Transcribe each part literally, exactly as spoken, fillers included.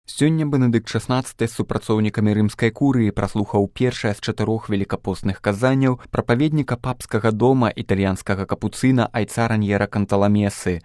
Сёння Бенедыкт шаснаццаты з супрацоўнікамі рымскай курыі праслухаў першае з чатырох велікапостных казанняў прапаведніка папскага дома італьянскага капуцына айца Раньера Канталамесы.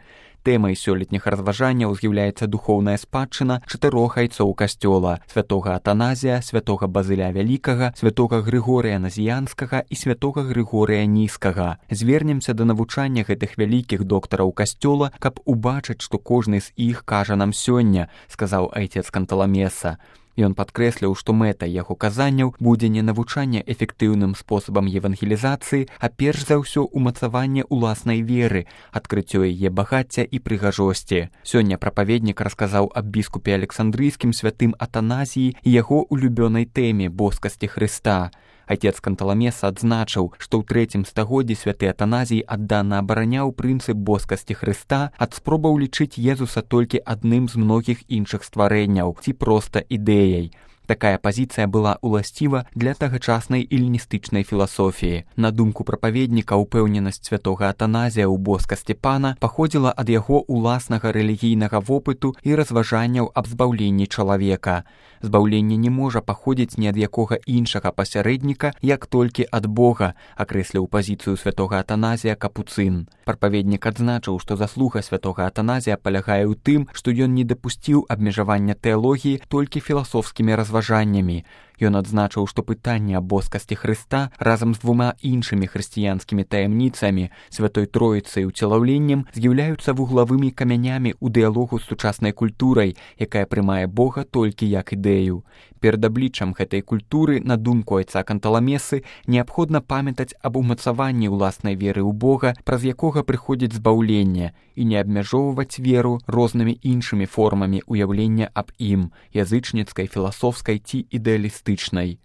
Тэмай сёлетніх разважанняў з'яўляецца духоўная спадчына чатырох айцоў касцёла: святога Атаназія, святога Базыля Вялікага, святога Грыгорыя Назіянскага і святога Грыгорыя Нізкага. Звернемся да навучання гэтых вялікіх доктараў касцёла, каб убачыць, што кожны з іх кажа нам сёння, сказаў айцец Канталамеса. Ён падкрэсліў, што мэта яго казанняў будзе не навучанне эфектыўным спосабам евангелізацыі, а перш за ўсё умацаванне ўласнай веры, адкрыццё яе багацця і прыгажосці. Сёння прапаведнік расказаў аб біскупе Александрыйскім святым Атаназіі і яго улюбёнай тэме боскасці Хрыста. Айцец Канталамеса адзначыў, што ў трэцім стагоддзі святы Атаназій аддана абараняў прынцып боскасці Хрыста ад спробаў лічыць Езуса толькі адным з многіх іншых стварэнняў ці проста ідэяй. Такая пазіцыя была ўласціва для тагачаснай эліністычнай філасофіі. На думку прапаведніка, упэўненасць святога Атаназія ў боскасці Пана паходзіла ад яго ўласнага рэлігійнага вопыту і разважанняў аб збаўленні чалавека. Збаўленне не можа паходзіць ні ад якога іншага пасярэдніка, як толькі ад Бога, акрэсліў пазіцыю святога Атаназія капуцын. Прапаведнік адзначыў, што заслуга святога Атаназія палягае ў тым, што ён не дапусціў абмежавання тэалогіі толькі філасофскімі разважаннямі. Ён адзначыў, што пытанне аб боскасці Хрыста разам з двума іншымі хрысціянскімі таямніцамі, святой Троіцай і ўцелаўленнем, з'яўляюцца вуглавымі камянямі ў дыялогу з сучаснай культурай, якая прымае Бога толькі як ідэю. Перад абліччам гэтай культуры, на думку айца Канталамесы, неабходна памятаць аб умацаванні ўласнай веры ў Бога, праз якога прыходзіць збаўленне, і не абмяжоўваць веру рознымі іншымі формамі ўяўлення аб ім, язычніцкай, філасофскай ці ідэалістычнай.